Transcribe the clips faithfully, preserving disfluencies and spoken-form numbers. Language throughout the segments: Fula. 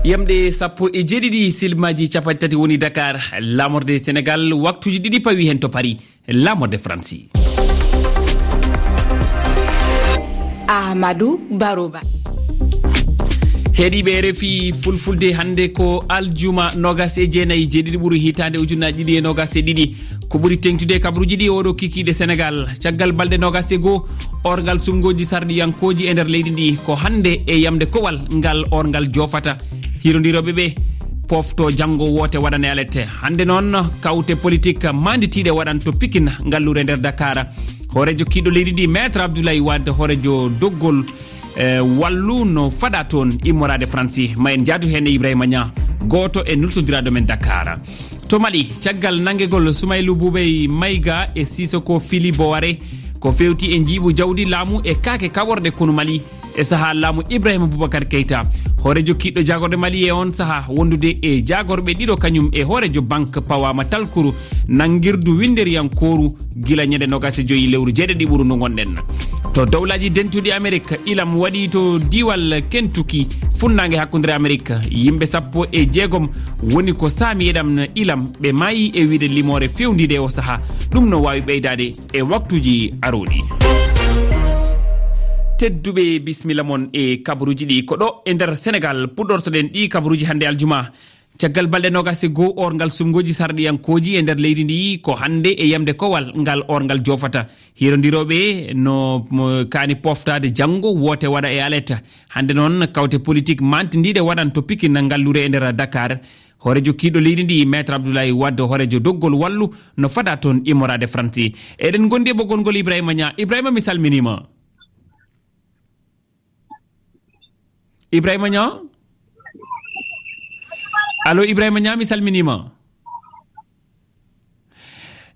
Yamɗe sappo e jeeɗiɗi silmaji capanɗe tati woni Dakar, laamorde Senegal, waktuji ɗiɗi pawi hen to Paris, laamorde Faransi. Ahmadou Baroba. Heɗiiɓe R F I Fulfulde, hannde ko aljuma nogas e jeenayi, jeeɗiɗi ɓuru hitaande ujunnaji ɗiɗi e nogas e ɗiɗi. Ko ɓuri teŋtude e kabaruuji ɗi oɗo kikiiɗe Senegal. Caggal balɗe nogas e goo, orngal suɓngooji sarɗiyankooji e nder leydi ndi, ko hannde e yamde kowal ngal orngal joofata. Hirondirooɓe ɓe pofto janngo woote waɗane alete. Hannde noon, kawte politik maanditiiɗe waɗan to Pikin, ngalluure nder Dakar. Hooreejo kiiɗo leydi ndi, Maître Abdoulaye Wade, hooreejo doggol, e, wallu no faɗa toon immoraade Faransi. Ma en njaadu heen e Ibrahima Niang, gooto e nultondiraaɗo men Dakar. To Mali, caggal nanngegol Soumaïlou Boubèye Maïga e Sissoko Fili Bowaré, ko feewti e njiiɓu jawdi, laamu e kaake kaɓorɗe konu Mali e sahaa laamu Ibrahima Boubacar Keita, hooreejo kiiɗo jaagorɗe Mali e on sahaa wondude e jaagorɓe ɗiɗo kañum e hooreejo banque pawaama talkuru nanngirdu winnderiyankooru gila ñande nogas e joyi lewru jeeɗiɗi ɓuru ndu ngonɗen. To dowlaaji dentuɗi Amerik, ilam waɗi to diiwal Kentucky, funnaange hakkunde Amerik. Yimɓe sappo e jeegom woni ko saami e ɗam ilam, ɓe maayi e wiyde limoore fewndiinde o sahaa. Ɗum no waawi ɓeydaade e waktuuji arooɗi. Tedduɓe, bisimilla mon e kabaruuji ɗi. Ko ɗo e nder Senegal puɗɗortoɗen ɗi kabaruuji hannde aljuma. Caggal balɗe nogas e goo, orngal suɓngooji sarɗiyankooji e nder leydi ndi, ko hannde e yamde kowal ngal orngal joofata. Hirondirooɓe no, mo, kaani poftaade janngo woote waɗa e alete. Hannde noon, kawte politik mantindiiɗe waɗan to Pikin, ngalluure e nder Dakar. Hooreejo kiiɗo leydi ndi, Maître Abdoulaye Wade, hooreejo doggol wallu, no faɗa toon immoraade Faransi. Eɗen ngondi e ɓoggol ngol Ibrahima Niang. Ibrahima, mi salminiima. Ibrahima Niang? Allo, Ibrahima Niang, mi salminiima.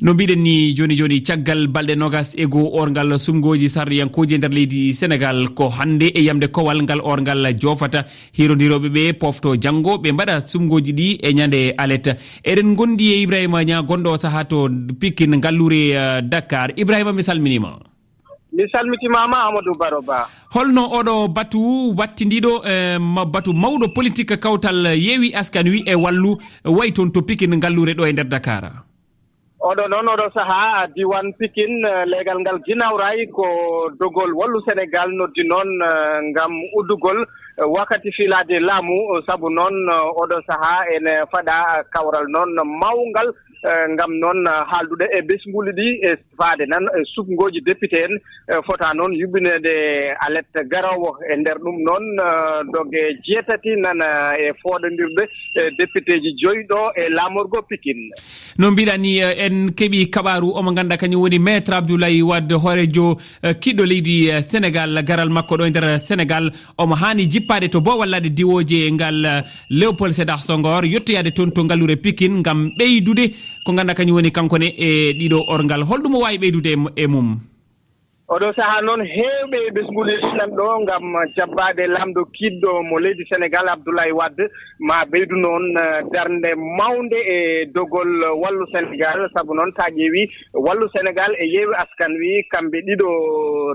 No mbiɗen ni jooni jooni, caggal balɗe nogas e goo, orngal suɓngooji sarɗiyankooji e nder leydi Senegal, ko hannde e yamde kowal ngal orngal joofata. Hirondirooɓe ɓe pofto janngo, ɓe mbaɗa suɓngooji ɗi e ñande alete. Eɗen ngondi e Ibrahima Niang, gonɗo o sahaa to Pikin, ngalluure, eh, Dakar. Ibrahima, mi salminiima. Mi salmitimaama, Amadou Baro Ba. Holno oɗo batu wattindiiɗo, eh, ma-, batu mawɗo politik kawtal Yewwi Askan Wi e Wallu wayi toon to Pikin, ngalluure ɗo e nder Dakar? Oɗo noon, oɗo sahaa, diiwaan Pikin, eh, leegal ngal Guinaw Rail ko dogol Wallu Senegal noddi noon, eh, ngam uddugol, eh, wakkati fiilaade laamu, eh, sabu noon, eh, oɗo sahaa ene faɗa, eh, kawral noon mawngal, eh, ngam noon, eh, haaldude e ɓesnguuli ɗi, e faade nan, eh, suɓngooji député en, eh, fota noon yuɓɓineede alete garoowo. E nder ɗum noon, eh, doge jeetati nan, eh, e fooɗondirde, eh, députéji joyi ɗo e laamorgo Pikin. No mbiɗa ni, eh, en keɓi kabaaru omo ngannduɗaa kañum woni Maître Abdoulaye Wade, hooreejo, eh, kiiɗɗo leydi, eh, Senegal, garal makko ɗo e nder Senegal. Omo haani jippaade to boowal laaɗe diwooje ngal, eh, Léopold Sédar Senghor, yettoyaade toon to ngalluure Pikin ngam ɓeydude ko ngannduɗaa kañum woni kanko ne e ɗiɗo orngal. Holɗum o waawi ɓeydude e, e mum? Oɗo sahaa noon, heewɓe e ɓesnguuli nan ɗo ngam jabbaade laamɗo kiiɗɗo mo leydi Senegal, Abdoulaye Wade, ma ɓeydu noon, eh, darnde mawnde e dogol Wallu Senegal, sabu noon, so a ƴeewi, Wallu Senegal e Yewwi Askan Wi, kamɓe ɗiɗo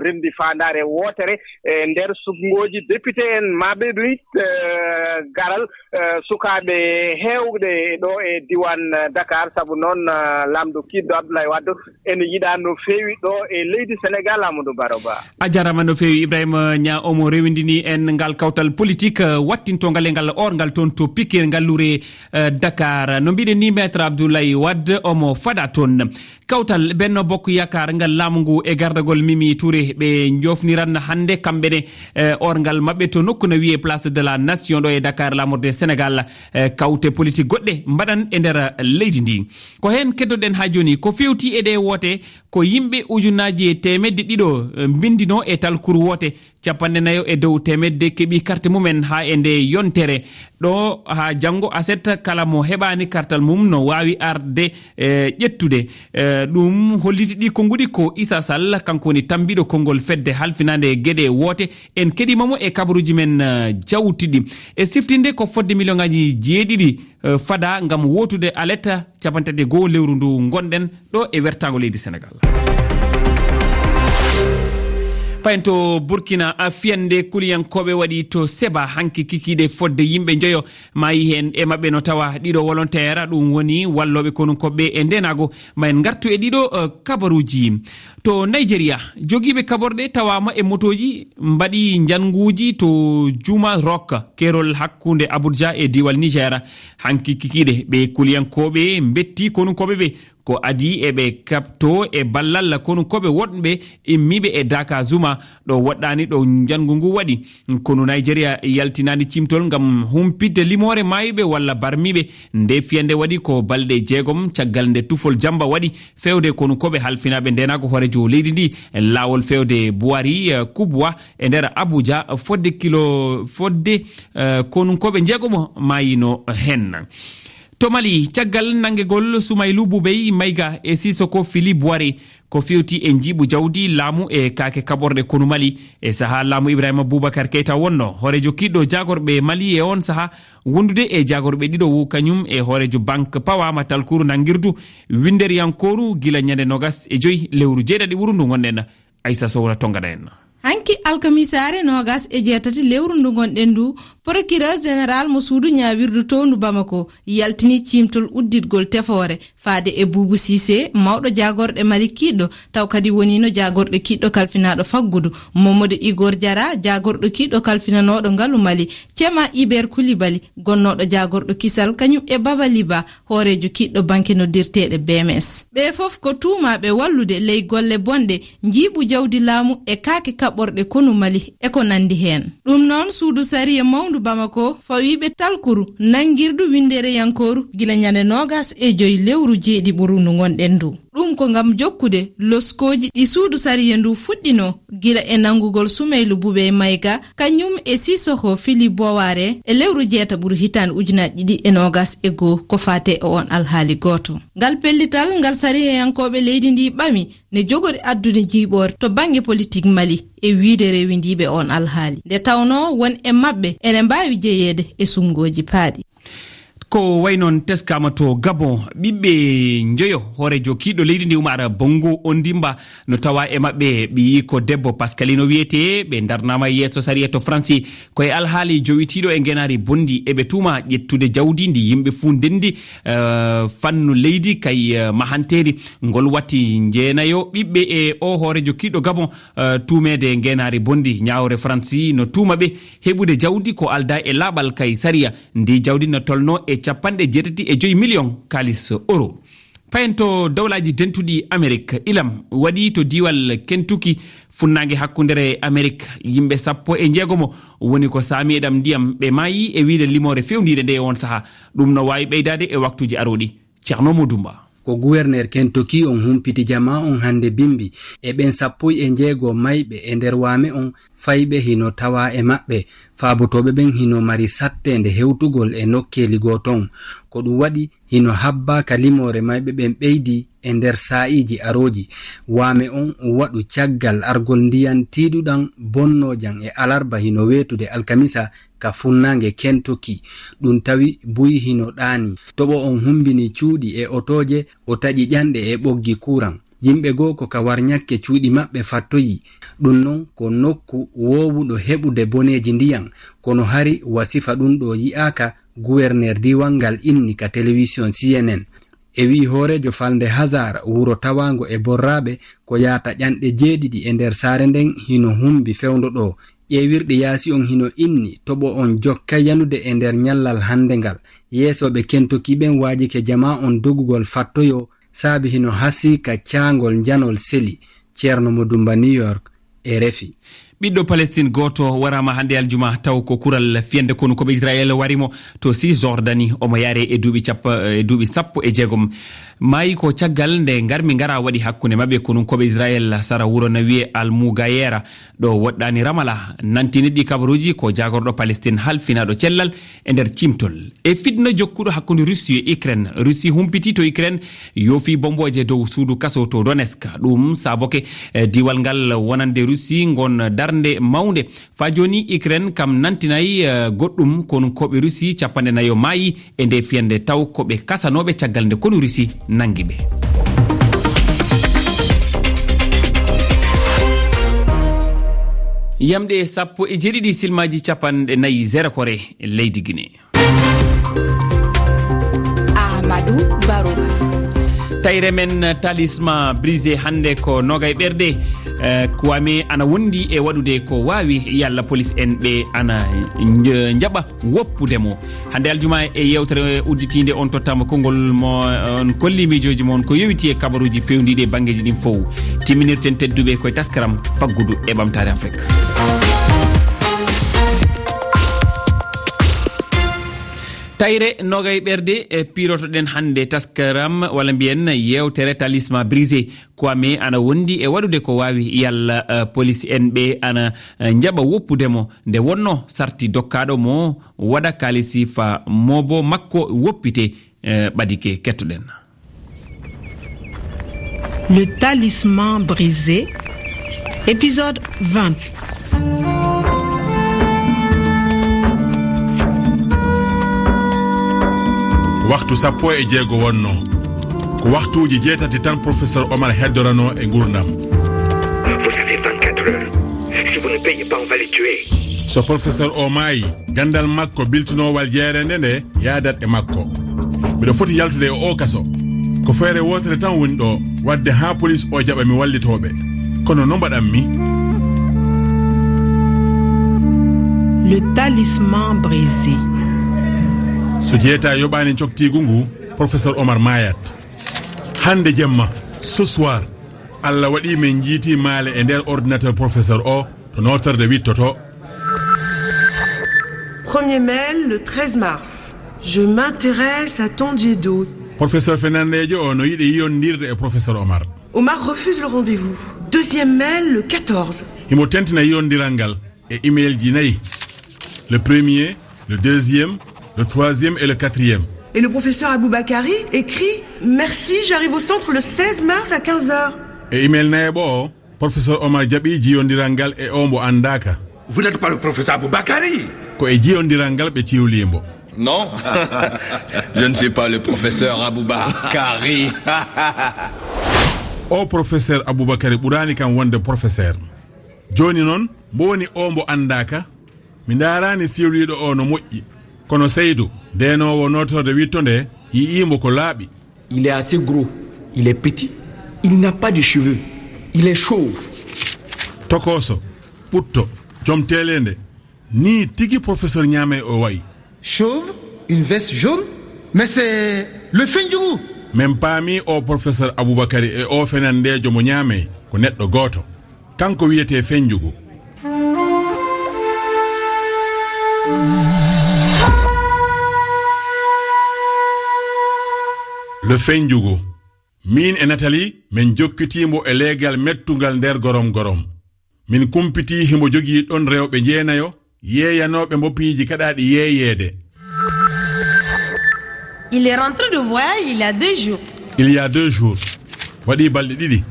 renndi faandaare wootere e nder suɓngooji député en, ma ɓeydu it, eh, garal, eh, sukaaɓe heewɓe ɗo e diiwaan, eh, Dakar, sabu noon, eh, laamɗo kiiɗɗo Abdoulaye Wade ene yiɗaa no feewi ɗo e leydi Senegal, Amadou Baro Ba. A jaaraama no feewi, Ibrahima Niang, omo rewindini en ngal kawtal politik, eh, wattintongal e ngal orngal toon to Pikin, ngalluure, eh, Dakar. No mbiɗen ni, Maître Abdoulaye Wade omo faɗa toon. Kawtal Benno Bokk Yaakaar ngal laamu ngu e gardagol Mimi Touré, ɓe njofniran hannde kamɓe ne, eh, orngal maɓɓe to nokku na wiyee Place de la Nation ɗo e Dakar, laamorde Senegal, eh, kawte politik goɗɗe mbaɗan e nder leydi ndi. Ko heen keddoɗen haa jooni. Ko feewti e ɗee woote, ko yimɓe ujunnaaji e teemedde ɗiɗo, eh, mbinndino e talkuru woote. Capanɗe nayo e dow teemedde keɓi karte mumen haa e nde yontere. Ɗo haa janngo aset, kala mo heɓaani kartal mum no waawi arde, eh, ƴettude. Eh, ɗum holliti ɗi konnguɗi ko Issa Sall, kanko woni tammbiiɗo konngol fedde halfinaande geɗe woote. En keɗiima mo e kabaruuji men, eh, jawtuɗi. E siftinde ko fodde miliyoŋaaji jeeɗiɗi, eh, fada ngam wootude alete capanɗe tati e goo lewru ndu ngonɗen ɗo e wertaango leydi Senegal. Payen to Burkina, a, fiyande kuliyankooɓe waɗi to Seba hanki kikiiɗe fodde yimɓe njoyo maayi heen. E maɓɓe no tawa ɗiɗo wolonteer, ɗum woni wallooɓe konunkooɓe e ndeenaago. Ma en ngartu e ɗiɗo, eh, kabaruuji. To Nigeria, jogiiɓe kaɓorɗe tawaama e motooji mbaɗi njannguuji to Juma Rock, keerol hakkunde Abuja e diiwal Niger. Hanki kikiiɗe, ɓe kuliyankooɓe mbetti konunkooɓe ɓe. Ko adii eɓe kaɓto e ballal konunkooɓe woɗɓe immiiɓe e Daka Zuma, ɗo woɗɗaani ɗo njanngu ngu waɗi. Konu Nigeria yaltinaani ciimtol ngam humpitde limoore maayɓe walla barmiiɓe. Nde fiyande waɗi ko balɗe jeegom caggal nde tufol jamba waɗi feewde konunkooɓe halfinaaɓe ndeenaago hooreejo leydi ndi, laawol feewde Buhari, eh, Kubwa e nder Abuja, fodde kilo, fodde, eh, konunkooɓe njeegomo maayino heen. To Mali, caggal nanngegol Sumaylu Bubey Mayga e Sisoko Fili Buware, ko fewti e njiiɓu jawdi laamu e kaake kaɓorɗe konu Mali, e sahaa laamu Ibrahima Boubacar Keita wonno, hooreejo kiiɗɗo jaagorɓe Mali e oon sahaa, wondude e jaagorɓe ɗiɗo wo kañum e hooreejo banque pawaama talkuru nanngirdu winnderiyankooru gila ñande noogas e joy lewru jeeɗaɗi ɓuru ndu ngonɗen. Aissa Sowra tongana en. Hanki alkamisaare noogas e jeetati lewru ndu ngonɗen ndu, procureur général mo suudu ñaawirdu towndu Bamako yaltini ciimtol udditgol tefoore faade e Buubu Siise, mawɗo jaagorɗe Mali kiiɗɗo, taw kadi woniino jaagorɗe kiiɗɗo kalfinaaɗo faggudu, Momodo Igor Jara, jaagorɗo kiiɗɗo kalfinanooɗo ngalu Mali, Cema Iber Kulibali, gonnooɗo jaagorɗo kisal, kañum e Baba Liba, hooreejo kiiɗɗo banke noddirteeɗe B M S. Ɓe fof ko tuumaaɓe wallude ley golle bonɗe, njiiɓu jawdi laamu e kaake kaɓorɗe konu Mali e ko nanndi heen. Ɗum noon, suudu sariya mawndu Bamako fawiiɓe talkuru nanngirdu winndereyankooru gila ñande noogas e joy lewru jeeɗiɓuru ndu ngonɗen ndu. Ɗum ko ngam jokkude loskooji ɗi suudu sariya ndu fuɗɗinoo gila e nanngugol Sumaylu Bubey Mayga, kañum e Sisoko Fili Boware e lewru jeetaɓuru hitaande ujunaaji ɗiɗi e noogas e goo, ko faate e oon alhaali gooto. Ngal pellital ngal sariyayankooɓe leydi ndi ɓami ne jogori addude jiiɓoore to bannge politik Mali e wiyde rewindiiɓe oon alhaali. Nde tawnoo won e maɓɓe ene mbaawi jeyeede e suɓngooji paaɗi. Ko wayi noon teskaama to Gabon, ɓiɓɓe njoyo hooreejo kiiɗɗo leydi ndi Umar Bongo Ondimba no tawa e maɓɓe ɓiyiiko debbo Pascalino wiyetee, ɓe ndarnaama yeeso sariya to Faransi. Ko e alhaali jowitiiɗo e ngeenaari bonndi eɓe tuuma ƴettude jawdi ndi yimɓe fuu ndenndi, eh, fannu leydi kay, eh, mahanteeri. Ngol watti njeenayo ɓiɓɓe e o hooreejo kiiɗɗo Gabon, eh, tuumeede ngeenaari bonndi. Ñaawre Faransi no tuuma ɓe heɓude jawdi ko aldaa e laaɓal kay sariya. Ndi jawdi no tolnoo e capanɗe jeetati e joy miliyoŋ kaalis euro. Payen to Dowlaaji Dentuɗi Amerik, ilam waɗi to diiwal Kentucky, funnaange hakkundere Amerik, yimɓe sappo e njeegomo woni ko saami e ɗam ndiyam, ɓe maayi e wiyde limoore fewndiire nde e oon sahaa. Ɗum no waawi ɓeydaade e waktuuji arooɗi. Ceerno Modou Mba. Ko guwerneer Kentucky on humpiti jamaa on hannde bimbi, e ɓen sappo e njeego mayɓe e nder waame on, fayɓe hino tawaa e maɓɓe. Faabotooɓe ɓen hino mari satteende hewtugol e nokkeeli goo ton. Ko ɗum waɗi hino habbaa ka limoore mayɓe ɓen ɓeydi e nder saa'iiji arooji. Waame on waɗu caggal argol ndiyan tiiɗuɗan bonnoojan e alarba hino weetude alkamisa ka funnaange Kentucky. Ɗum tawi buy hino ɗaani. Toɓo on humbini cuuɗi e otooje, o taƴi ƴanɗe e ɓoggi kuuran. Yimɓe goo ko ka warñakke cuuɗi maɓɓe fattoyi. Ɗum non ko nokku woowuɗo heɓude boneeji ndiyan, kono hari wa sifa ɗum ɗoo yi'aaka, guwerneer diiwal ngal inni ka telewisiyon C N N. E wi'i hooreejo falnde Hazar, wuro tawaango e borraaɓe ko yaata ƴanɗe jeeɗiɗi e nder saare nden hino humbi fewndo ɗoo. Ƴeewirɗe yaasi on hino inni toɓo on jokka yanude e nder ñallal hannde ngal. Yeesooɓe Kentucky ɓen waajike jamaa on dogugol fattoyoo, saabi hino hasii ka caangol njanol seli. Ceerno Modou Mba, New York, R F I. Ɓiɗɗo Palestine gooto waraama hannde aljuma, taw ko kural fiyande konunkooɓe Israel wari mo to Cisjordanie. Omo yaare e duuɓi cappa-, e duuɓi sappo e jeegom. Maayi ko caggal nde ngarmi ngara waɗi hakkunde maɓɓe konunkooɓe Israel sara wuro na wiyee Al Mugayera, ɗo woɗɗaani Ramallah. Nantini ɗi kabaruuji ko jaagorɗo Palestine halfinaaɗo cellal e nder cimtol. E fitna jokkuɗo hakkunde Russie e Ukraine, Russie humpiti to Ukraine yoofi bombooje dow suudu kaso to Donetsk. Ɗum saaboke, eh, diiwal ngal wonande Russie ngon darnde mawnde. Faa jooni Ukraine kam nantinay, eh, goɗɗum, konunkooɓe Russie capanɗe nayo maayi e nde fiyande, taw ko ɓe kasanooɓe caggal nde konu Russie nangi ɓe. Yamɗe sappo e jeeɗiɗi silmaaji capanɗe nayi zero kore leydi Guinée. Amadou Baro. Tayre men Talisman Brisé hannde ko nogay ɓerɗe. Eh, Kwame ana wondi e waɗude ko waawi, yalla police en ɓe ana nj-, njaɓa woppude mo. Hannde aljuma e yewtere udditiinde on tottama konngol mo on kolli miijooji mon ko yowiti e kabaruuji fewndiiɗi e banngeeji ɗin fow. Timminirten tedduɓe koye taskaram faggudu e ɓamtaare Afrik. Tayre nogay ɓerɗe e pirotoɗen hannde taskaram, walla mbiyen yewtere Talisman Brisé. Kwame ana wondi e waɗude ko waawi, yalla, eh, police en ɓe ana, eh, njaɓa woppude mo, nde wonno sarti dokkaaɗo mo waɗa kaalisi fa mobo makko woppite, eh, ɓadike. Kettoɗen. Le Talisman Brisé, épisode vingt. Waxtu sappo e jeego wonno. Ko waxtuuji jeetati tan professeur Omar heddoranoo e nguurndam. Vous avez vingt-quatre heures. Si vous ne payez pas, on va les tuer. So professeur o maayi, ganndal makko biltinoowal jeereende nde yaadat e makko. Miɗo foti yaltude e o kaso. Ko feere wootere tan woni ɗo, waɗde haa police o jaɓa mi wallitooɓe. Kono no mbaɗan mi? Le Talisman Brisé. So jeeta yoɓaani coktiigu ngu, professeur Omar maayat. Hannde jemma, ce soir, Allah waɗi men njiiti maale e nder ordinateur professeur o to nootorde wittoto. Premier mail, le treize mars. Je m'intéresse à Tondiedo. Professeur Fernandejo o no yiɗi yiyondirde e professeur Omar. Omar refuse le rendez-vous. Deuxième mail, le quatorze. Himo tentina yiyondiral ngal e email ji nayi. Le premier, le deuxième, le troisième et le quatrième. Et le professeur Aboubakari écrit : « Merci, j'arrive au centre le seize mars à quinze heures. » E email nayaɓo o, professeur Omar jaɓi jiyondiral ngal e o mbo anndaaka. Vous n'êtes pas le professeur Aboubakari ? Ko e jiyondiral ngal ɓe ciwlii mbo. Non, je ne suis pas le professeur Aboubakari. O professeur Aboubakari ɓuraani kam wonde professeur. Jooni noon, mbo woni o mbo anndaaka? Mi ndaaraani siwliiɗo o no moƴƴi. Kono Seydou, ndeenoowo nootorde witto nde, yi'ii mbo ko laaɓi. Il est assez gros, il est petit, il n'a pas de cheveux, il est chauve. Tokooso, ɓutto, joom teeleende, nii tigi professeur Ñaamey o wayi. Chauve, une veste jaune, mais c'est le Fendjougou. Min paami o professeur Aboubakari e o fenandeejo mo Ñaamey ko neɗɗo gooto. Kanko wiyetee Fenjugu. Le Fenjugu. Miin e Nathalie, min jokkitii mbo e leegal mettungal nder gorom gorom. Min kumpitii himo jogii ɗon rewɓe jeenayo, yeeyanooɓe mbo piiji kaɗaaɗi yeeyeede. Il est rentré de voyage il y a deux jours. Il y a deux jours. Waɗii balɗe ɗiɗi.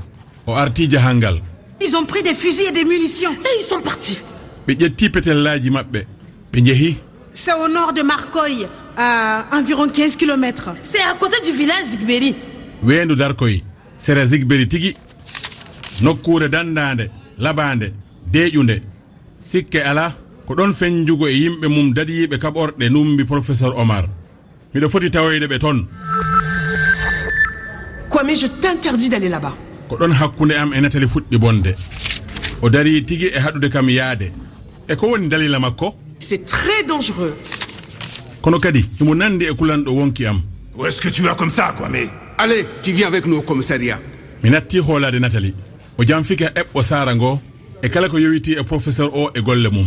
O artii jahangal. Ils ont pris des fusils et des munitions. Et ils sont partis. Ɓe ƴettii petellaaji maɓɓe. Ɓe njehi. C'est au nord de Marcoy, à environ quinze kilomètres. C'est à côté du village Zigberi. Weendu Darkoy, sera Zigberi tigi. Nokkuure danndaande, labaande, deeƴunde. Sikke alaa, ko ɗon Fenjugu e yimɓe mum dadiiɓe kaɓorɗe numbi professeur Omar. Miɗo foti tawoyde ɓe ton. Kwame, je t'interdis d'aller là-bas. Ko ɗon hakkunde am e Nathalie fuɗɗi bonde. O darii tigi e haɗude kam yaade. E ko woni dalila makko? C'est très dangereux. Kono kadi, himo nandi e kulanɗo wonki am. Où est-ce que tu vas comme ça, Kwame ? Allez, tu viens avec nous au commissariat. Mi natti hoolaade Nathalie. O janfike eɓɓo saara ngo e kala ko yowitii e professeur o e golle mum.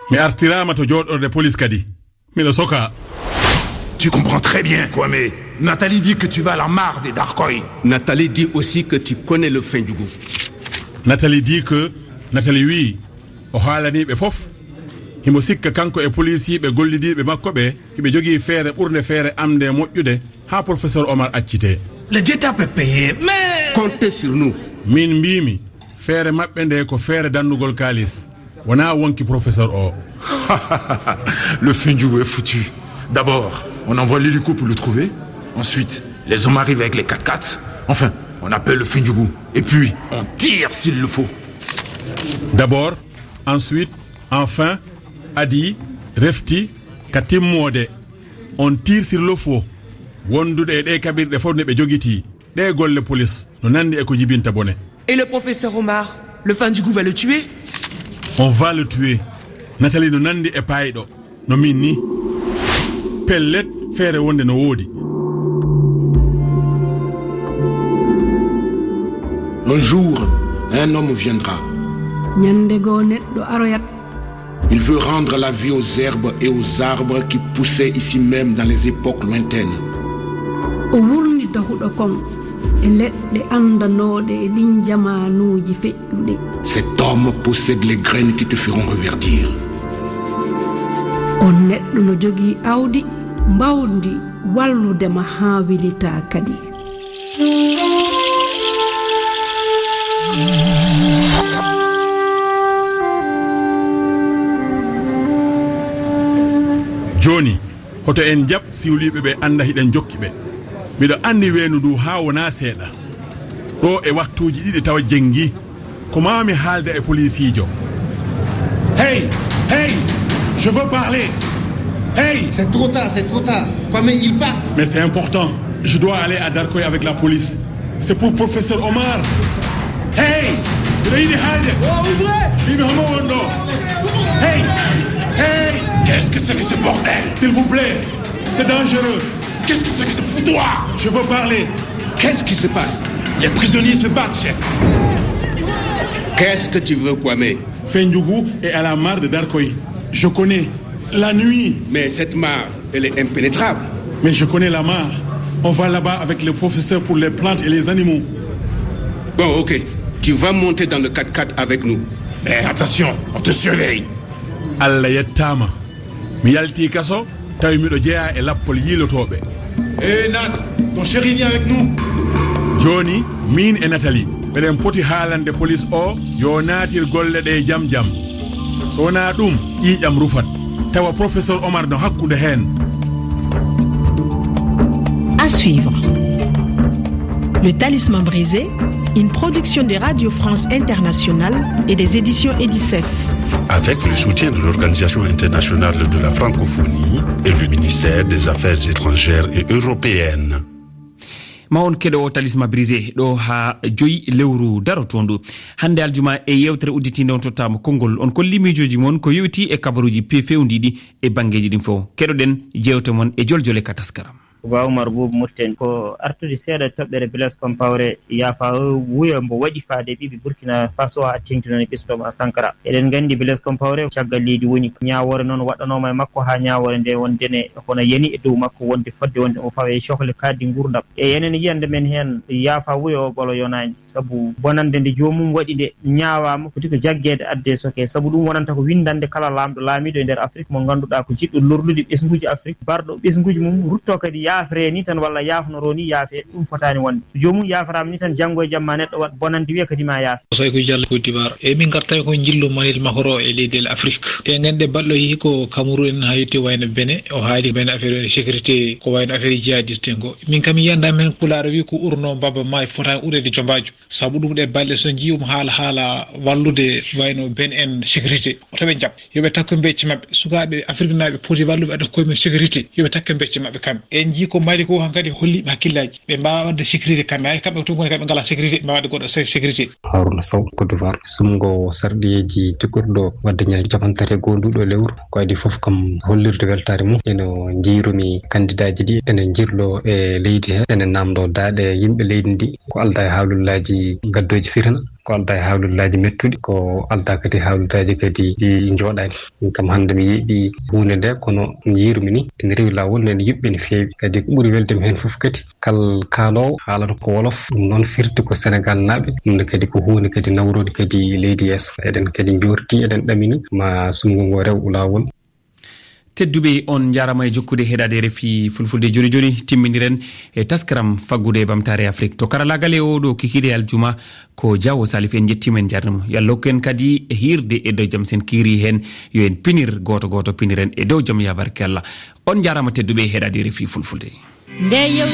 Mi artiraama to jooɗorde police kadi. Miɗo sokaa. Tu comprends très bien, Kwame. Nathalie dit que tu vas à la mare de Darkoy. Nathalie dit aussi que tu connais le Fendjougou. Nathalie dit que, Nathalie wii, o haalanii ɓe fof. Himo sikka kanko e polisiiɓe gollidiiɓe makko ɓe, hiɓe jogii feere ɓurnde feere am nde moƴƴude, haa professeur Omar accitee. Le Dieu t'a payé, mais comptez sur nous. Min mbiimi, feere maɓɓe nde ko feere dannugol kaalis, wonaa wonki professeur o. Le Fendjougou est foutu. D'abord, on envoie l'hélico pour le trouver. Ensuite, les hommes arrivent avec les quatre-quatre. Enfin, on appelle le Fendjougou. Et puis, on tire s'il le faut. D'abord, ensuite, enfin, adi, refti, ka timmoode, on tire sur le faux. Wondude e ɗee kaɓirɗe fof ne ɓe jogitii. Ɗee golle police no nanndi e ko jibinta bone. Et le professeur Omar, le Fendjougou va le tuer ? On va le tuer. Nathalie no nanndi e paayɗo. No min ni. Pellet, feere wonde no woodi. Un jour, un homme viendra. Ñande goo neɗɗo aroyat. Il veut rendre la vie aux herbes et aux arbres qui poussaient ici même dans les époques lointaines. O wurnita huɗo kon e leɗɗe anndanooɗe e ɗin jamaanuuji feƴƴuɗi. Cet homme possède les graines qui te feront reverdir. On neɗɗo no jogii awdi mbawndi wallude ma haa wilitaa kadi. Jooni, hoto en jaɓ siwliiɓe ɓe annda hiɗen jokki ɓe. Miɗo anndi weendu ndu haa wonaa seeɗa. Ɗo e waktuuji ɗiɗi tawa jenngi. Ko maa mi haalda e poliisiijo. Hey, hey, je veux parler. Hey. C'est trop tard, c'est trop tard. Kwame, ils partent. Mais c'est important. Je dois aller à Darkoy avec la police. C'est pour professeur Omar. Hey, miɗo yiɗi haalde. Oh, ouvrez. Mimi, homo wonɗo? Hey, hey. Qu'est-ce que c'est que ce bordel? S'il vous plaît, c'est dangereux. Qu'est-ce que c'est que ce foutoir? Je veux parler. Qu'est-ce qui se passe? Les prisonniers se battent, chef. Qu'est-ce que tu veux, Kwame? Fendjougou est à la mare de Darkoy. Je connais. La nuit. Mais cette mare, elle est impénétrable. Mais je connais la mare. On va là-bas avec le professeur pour les plantes et les animaux. Bon, ok. Tu vas monter dans le quatre-quatre avec nous. Mais attention, on te surveille. Allah yettaama. Mi yaltii kaso, tawi miɗo jeyaa e lappol yiilotooɓe. Eh, Nat, ton chéri vient avec nous. Jooni, miin e Nathalie, meɗen poti haalande police o yo naatir golle ɗe jam jam. So wonaa ɗum, ƴiiƴam rufat. Tawa professeur Omar no hakkunde heen. À suivre. Le Talisman brisé, une production de Radio France Internationale et des éditions Edicef. Avec le soutien de l'Organisation internationale de la francophonie et le ministère des Affaires étrangères et européennes. Ma on keɗo o Talisman brisé ɗo haa joyi lewru darotoondu. Hannde aljuma e yewtere udditiinde on tottaama konngol. On kolli miijooji mon ko yowiti e kabaruuji pe-, fewndiiɗi e banngeeji ɗin fof. Keɗoɗen jeewte mon e joljole ka taskaram. Ba Umar Buubu Murten, ko artude seeɗa toɓɓere Blaise Compaoré yaafa wuyo mbo waɗi faade ɓiɓɓe Burkina Faso haa teeŋti noon e ɓesngu Thomas Sankara. Eɗen nganndi Blaise Compaoré caggal leydi woni. Ñaawoore noon waɗɗanooma e makko haa ñaawoore nde wonde ne kono yani e dow makko wonde fodde wonde o fawa e cohle kaaɗdi nguurndam. E enen yiyannde men heen yaafa wuyo o ɓolo yonaani. Sabu bonannde nde joomum waɗi nde ñaawaama, foti ko jaggeede addee soke. Sabu ɗum wonanta ko winndannde kala laamɗo laamiiɗo e nder Afrik mo ngannduɗaa ko jiɗɗo lorlude ɓesnguuji Afrik, barɗo ɓesnguuji mum, ruttoo kadi yaafre ni tan walla yaafnoroo ni yaafe, ɗum fotaani wonde. So joomum yaafaraama ni tan, janngo e jamma neɗɗo waɗ bonannde wiya kadi ma yaafe. Soy ko Jallo Côte d'Ivoire. E min ngartay ko njillu Manil Makoro e leydi Afrik. E ngannde baɗɗo yehi ko Cameroun en hayti wayno Benin, o haali Benin affaire sécurité ko wayno affaire jihadiste en ko. Min kam yiyannda men Pulaar wi ko urno mbaba ma e fotaani ureede jombaajo. Sabu ɗum ɗe balɗe so nji'um haala, haala wallude wayno Benin en sécurité. Oto ɓe njaɓ. Yo ɓe takko becce maɓɓe. Sukaaɓe Afriknaaɓe poti walluɓe adda koye mum sécurité. Yo ɓe takko becce maɓɓe kamɓe. En njii ko Mali ko hankadi holli ɓe hakkillaaji. Ɓe mbaawa waɗde sécurité kamɓe. Hay kamɓe to ngoni kamɓe ngalaa sécurité, ɓe mbaawa waɗde goɗɗo sé-, sécurité. Haruna Sow, Côte d'Ivoire. Sumgo sarɗiyeeji cikkorɗo waɗde ñande cappanɗe tati e goho nduɗo lewru. Ko adii fof kam hollirde weltaare mum. Eno njiirumi kandidaaji ɗi, ene njirlo e leydi he, ene namndo daaɗe yimɓe leydi ndi. Ko aldaa e haalullaaji gaddooji fitina, ko aldaa e haalullaaji mettuɗi, ko aldaa kadi haalullaaji kadi ɗi njooɗaani. Min kam hannde mi yeeɓi huunde nde, kono njiirumi ni ene rewi laawol, ene yuɓɓi no feewi. Kadi ko ɓuri weldemi heen fof kadi, kal kaaloowo haalata ko wolof, ɗum noon firti ko Senegaalnaaɓe, ɗum ne kadi ko huunde kadi nawroonde kadi leydi yeeso. Eɗen kadi njoorti, eɗen ɗamini ma sumgo ngo rew laawol. Tedduɓe, on njaaraama e jokkude heɗaade R F I Fulfulde. Jooni jooni timminiren e taskaram faggude e ɓamtaare Afrik. To karalaagal e oo ɗoo kikiiɗe aljuma ko Jaawo Salif. En njettiima, en njaarniima. Yo Allah hokku en kadi hiirde e dow jam. So en kiirii heen, yo en pinir gooto gooto, piniren e dow jam, yaa barke Allah. On njaaraama tedduɓe e heɗaade R F I Fulfulde. Nde yew-